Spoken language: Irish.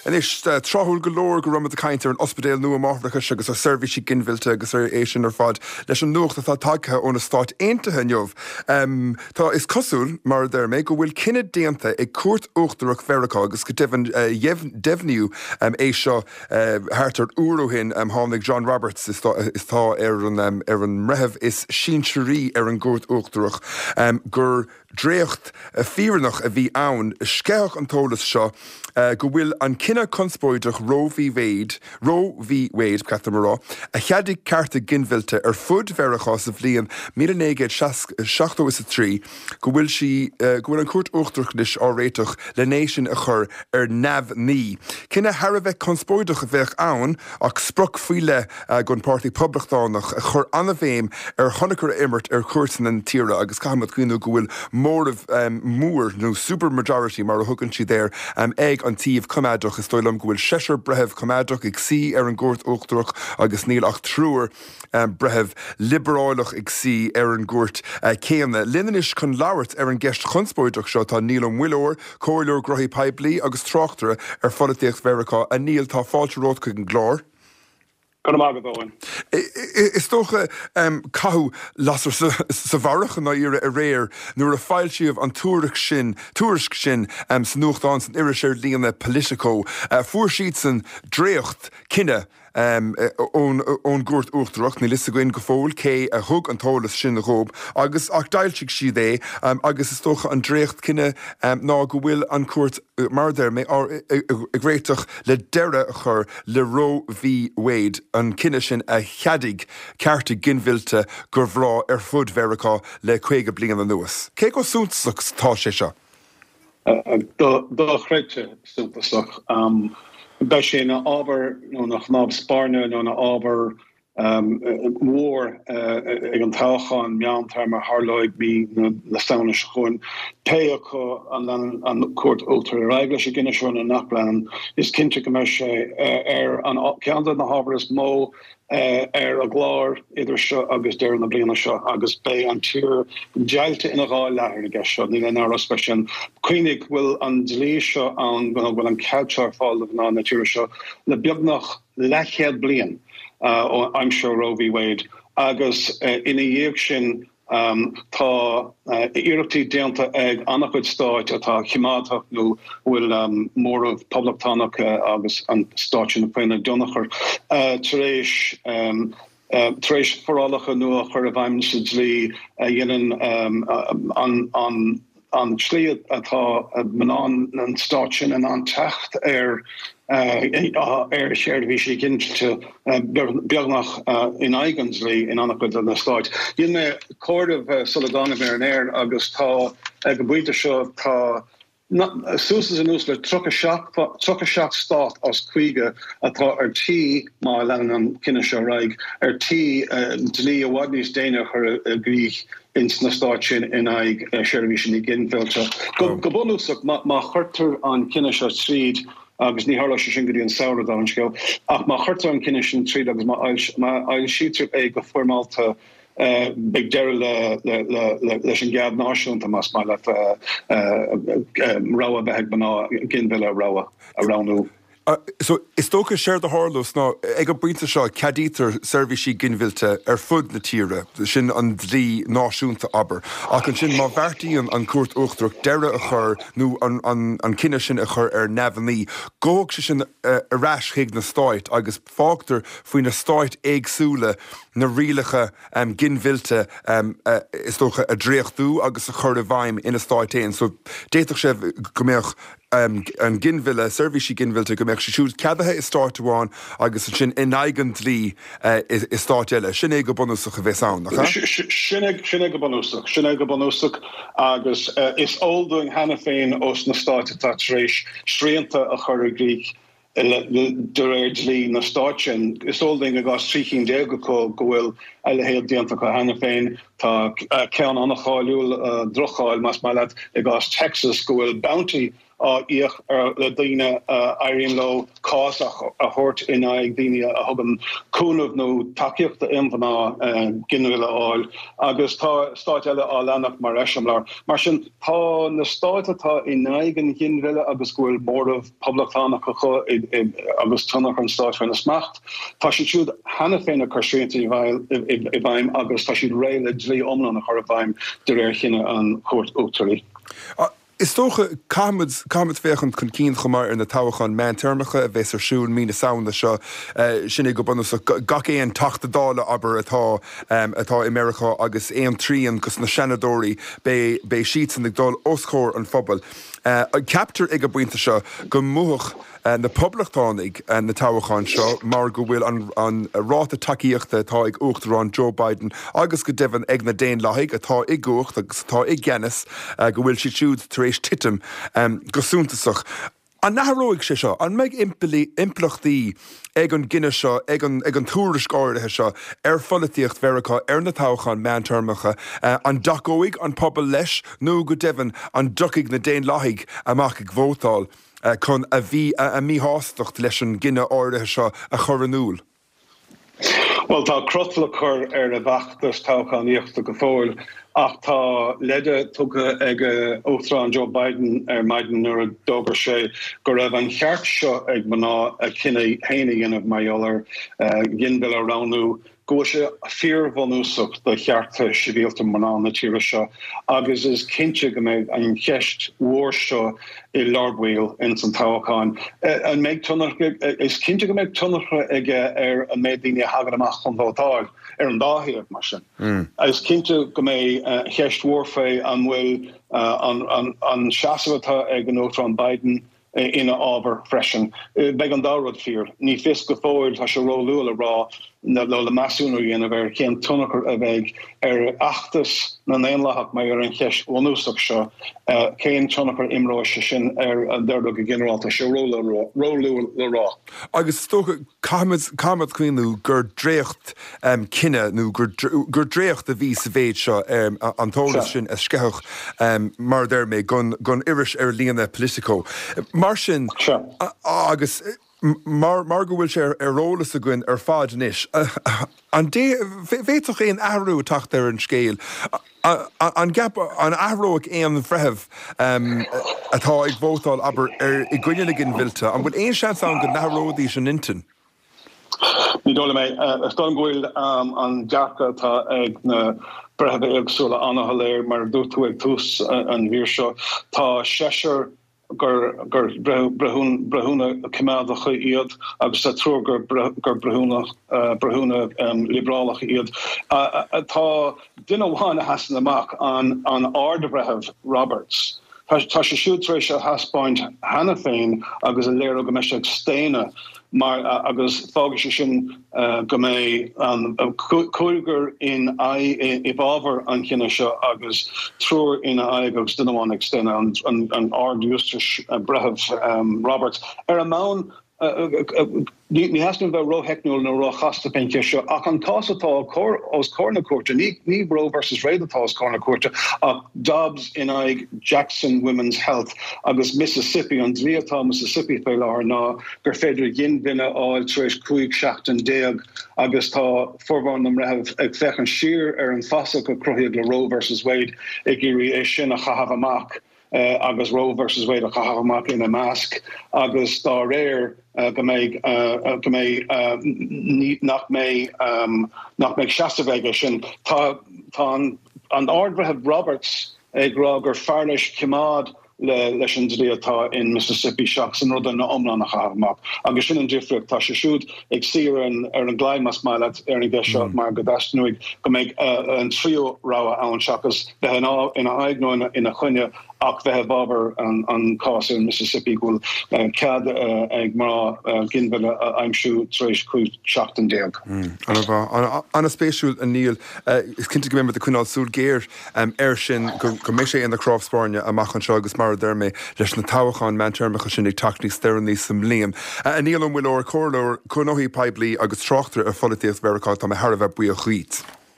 Anois, tráthúil go leor go raibh muid ag caint ar an ospidéal nua máithreachais agus ar seirbhísí ginmhillte agus ar é sin ar fad leis an nuacht atá tagtha ó na Stáit Aontaithe inniu. Tá, is cosúil, mar a deir mé, go bhfuil cinneadh déanta ag Cúirt Uachtarach Mheiriceá agus go deimhin deimhníodh é seo thart ar uair ó shin. Tháinig John Roberts, is atá ar an ar an mbreitheamh is sinsearaí ar an gCúirt Uachtarach, gur Dréacht fírinneach a bhí ann. Sceitheadh an t-eolas seo go bhfuil an cinneadh conspóideach Roe v Wade, Roe v Wade, ba cheart dom a rá, a cheadaigh cearta ginmhillte ar fud Mheiriceá sa bhliain 1973, go bhfuil sí, go bhfuil an Chúirt Uachtarach anois á réiteach len é sin a chur ar neamhní. Cinneadh thar a bheith conspóideach a bheadh ann ach sprioc faoi leith don Pháirtí Poblachtánach a chuir an-bhéim ar thionchar a imirt ar chúirteanna na tíre agus caithfimid cuimhniú go bhfuil móramh mór, nó super majority mar a thugann siad air, ag an taobh coimeádach. Is dóigh liom go bhfuil seisear breitheamh coimeádach ag suí ar an gCúirt Uachtarach agus níl ach triúr breitheamh liobrálach ag suí ar an gcúirt chéanna. Linn anois chun labhairt ar an gceist chonspóideach seo tá Niall Ó Muilleoir, Comhairleoir Gnóthaí Poiblí agus tráchtaire ar pholaitíocht Mheiriceá. A Niall, tá fáilte romhat chuig an gclár. Go raibh maith agat, Eoin. Is dócha, caitheadh lasair sa bharrach i ndáiríre aréir nuair a foilsíodh an tuairisc sin, tuairisc sin sa nuachtán, san iris ar líne Politico. Fuair siadsan dréacht cinneadh ón gCúirt Uachtarach, níl fhios againn go fóill cé a thug an t-eolas sin dhóibh, agus ach d'fhoilsigh siad é agus is dócha an dréacht cinneadh ná go bhfuil an Chúirt, mar a deir mé, ag réiteach le deireadh a chur le Roe v Wade, an cinneadh sin a cheadaigh cearta ginmhillte do mhná ar fud Mheiriceá le 50 bliain anuas. Cé chomh suntasach is atá sé seo? Dochreidte suntasach. Beidh sé ina ábhar nó ina chnámh spairne nó ina ábhar mhór ag an toghchán meántéarma a tharlóidh mí na Samhna seo chugainn. Pé acu an leanann an Chúirt Uachtarach ar aghaidh leis an gcinneadh seo nó nach leanann, is cinnte go mbeidh sé ar an ceann de na hábhair is mó ar an gclár idir seo agus deireadh na bliana seo agus beidh an tír deighilte ina dhá leath ar an gceist seo, níl aon amhras faoi sin. Cuimhnigh go bhfuil an dlí seo ann, go bhfuil an cead seo ar fáil do mhná na tíre seo le beagnach leathchéad bliain ó aimsir Roe v Wade agus ina dhiaidh sin tá iarrachtaí déanta ag an-chuid stáit atá coimeádach nó a bhfuil móramh poblachtánach agus an stát sin faoina dtionchar tar éis tar éis forálacha nua a chur i bhfeidhm sa dlí a dhéanann an an tslí atá mná na stát sin in ann teacht ar ar sheirbhísí ginmhillte beagnach in aghaidh an dlí in an-chuid de na stáit. Dhein mé comhaireamh sula dtáinig mé ar an aer agus tá, ag an bpointe seo, tá suas is anuas le 37, 37 stát as 50 atá ar tí, má leanann an cinneadh seo ar aghaidh, ar tí dlí i bhfad níos déine a chur i gcrích ins na stáit sin in aghaidh seirbhísí ginmhillte. Go bunúsach, má chuirtear an cinneadh seo tríd, agus ní tharlóidh sé sin go dtí an samhradh, dála an scéil, ach má chuirtear an cinneadh sin tríd agus má fhoilsítear é go foirmeálta, beidh deireadh leis an gcead náisiúnta, más maith leat, rogha a bheith ag mná ginmhilleadh a roghnú. So, is dócha séard a tharlós ná, ag an bpointe seo, ceadaítear seirbhísí ginmhillte ar fud na tíre, sin an dlí náisiúnta, abair. Ach ansin, má bheartaíonn an Chúirt Uachtarach deireadh a chur, nó an cinneadh sin a chur ar neamhní, gabhfaidh sé sin ar ais chuig na stáit agus fágtar faoi na stáit éagsúla na rialacha ginmhillte, is dócha, a dhréachtú agus a chur i bhfeidhm ina stáit féin. So, d'fhéadfadh sé go mbeadh. an ginmhilleadh, seirbhísí ginmhillte, go mbeadh sé siúd ceadaithe i stáit amháin agus ansin in aghaidh an dlí i stáit eile. Sin é go bunúsach a bheas ann, nach ea? Sin é, sin é go bunúsach. Sin é go bunúsach agus is eol dúinn cheana féin ós na stáit atá tar éis srianta a chur i gcrích de réir dlí na stát sin, is eol dúinn i gcás 13 cinn acu go bhfuil. a leithéid déanta acu cheana féin. Tá ceann an-cháiliúil, droch-cháil más maith leat, i gcás Texas go bhfuil bounty á íoc le daoine a éiríonn leo cás a thabhairt in aghaidh daoine a thugann cúnamh nó tacaíocht d'aon mhná ginmhilleadh a fháil agus tá stáit eile á leanacht mar eiseamláir. Mar sin, tá na stáit atá in aghaidh an ghinmhilleadh agus go bhfuil móramh poblachtánach acu agus tionchar an stáit faoina smacht, tá siad siúd cheana féin ag cur srianta i bhfeidhm agus tá siad réidh le dlí iomlán a chur i bhfeidhm de réir chinneadh an Chúirt Uachtaraí. Is dócha, caithfimid, caithfimid féachaint chun cinn chomh maith ar na toghcháin meántéarmacha a bheas ar siúl mí na Samhna seo. Sin é go bunúsach gach aon Teachta Dála, abair, atá, atá i Meiriceá agus aon trian dos na Seanadóirí, beidh, beidh siadsan ag dul os comhair an phobail. Ceaptar ag an bpointe seo go mbuafadh na Poblachtánaigh na toghcháin seo mar go bhfuil an ráta tacaíochta atá ag Uachtarán Joe Biden agus go deimhin ag na Daonlathaigh atá i gcumhacht agus atá i gceannas, go bhfuil siad siúd tar éis titim go suntasach. An athróidh sé seo? An mbeidh impleachtaí ag an gcinneadh seo, ag an tuairisc áirithe seo ar pholaitíocht Mheiriceá ar na toghcháin meántéarmacha? An dtacóidh an pobal leis nó go deimhin an dtiocfaidh na Daonlathaigh amach ag vótáil? chun a a míshástacht leis an gcinneadh áirithe seo a chur in iúl. Bhuel, tá crot le cur ar an bhfeachtas toghchánaíochta go fóill ach tá leide tugtha ag Uachtarán Joe Biden ar maidin nuair a d'fhógair sé go raibh an cheart seo ag mná a cinneadh féin a dhéanamh mar gheall ar ghinmhilleadh a roghnú. go bhfuil sé fíorbhunúsach do chearta sibhialta mná na tíre seo agus is cinnte go mbeidh an cheist mhór seo i lár baill ins an toghchán. An mbeidh tionchar? Is cinnte go mbeidh tionchar aige ar an méid daoine a thagann amach chun vótáil, ar an dá thaobh, mar sin. Is cinnte go mbeidh ceist mhór faoi an bhfuil an seasamh atá ag an Uachtarán Biden ina fhábhar freisin. Beidh an dá rud fíor. Ní fios go fóill, tá sé róluath le rá nó le measúnú a dhéanamh ar cén tionchar a bheidh ar fheachtas na nDaonlathach mar gheall ar an cheist bhunúsach seo, cén tionchar a imreoidh sé sin ar an dearcadh go ginearálta. Tá sé róluath le rá. Agus is dócha, caithfimid, caithfimid cuimhniú gur dréacht cinneadh nó gur, gur dréacht a bhí sa mhéid seo, an t-eolas sin a sceitheadh, mar a deir mé, gon, gon iris ar líne Politico. Mar sin, agus mar, mar go bhfuil sé ar eolas againn ar fad anois, an bhféadfadh aon athrú a teacht ar an scéal? An gceap, an athróidh aon bhreitheamh atá ag vótáil, abair, ar, i gcoinne na ginmhillte, an bhfuil aon seans ann go n-athróidís a n-intinn? Ní dóigh liom é. Is dóigh liom go bhfuil an dearcadh atá ag na breithimh éagsúla an-shoiléir. Mar a dúirt tú ag tús an mhír seo, tá seisear gur breithiúna coimeádacha iad agus tá triúr gur breithiúna liobrálacha iad. Tá duine amháin a sheasann amach, an Ard-Bhreitheamh Roberts. Tá sé siúd tar éis a thaispeáint cheana féin agus a léiriú go mbeidh sé ag staonadh mar agus fágfaidh sé sin go mbeidh an cúigear in aghaidh i bhfabhar an chinnidh seo agus triúr ina aghaidh agus duine amháin ag staonadh, an Ard-Ghiústais Breitheamh Roberts. Ar an mbonn Ní theastaíonn bheith rótheicniúil nó róchasta faoin cheist seo, ach an cás atá os comhair na cúirte, ní Roe versus Wade atá os comhair na cúirte, ach Dobbs in aghaidh Jackson Women's Health agus Mississippi. An dlí atá i Mississippi faoi láthair ná gur féidir ginmhilleadh a fháil tar éis 15 seachtain agus tá formhór na mbreitheamh ag féachaint siar ar an bhfasach a cruthaíodh le Roe versus Wade ag iarraidh é sin a chaitheamh amach. agus Roe versus Wade a chaitheamh amach ina measc agus dá réir go mbeidh go mbeidh nach mbeidh nach mbeidh seasamh aige sin. Tá tá an an Ard-Bhreitheamh Roberts ag rá gur fearr leis coimeád le leis an dlí atá in Mississippi seachas an rud ina iomlán a chaitheamh amach. Agus sin an difríocht. Tá sé siúd ag suí ar an ar an gclaí más maith leat ar an gceist seo mar go dteastaíonn uaidh go mbeidh an tríú rogha ann seachas bheith ina aghaidh nó ina choinne ach bheith i bhfabhar an cás in Mississippi go bhfuil cead ag mná ginmhilleadh a aimsiú tar éis 15 seachtain. An-mhaith. An-spéisiúil, a Niall. Is cinnte go mbeimid ag coinneáil súil ghéar air sin, go mbeidh sé ina chnámh spairne amach anseo agus mar. mar a deir mé, leis na toghcháin meántéarmacha sin ag teacht níos deireanaí sa mbliain. A Niall Ó Muilleoir, Comhairleoir Gnóthaí Poiblí agus tráchtaire ar pholaitíocht Mheiriceá, tá mé thar a bheith buíoch dhíot.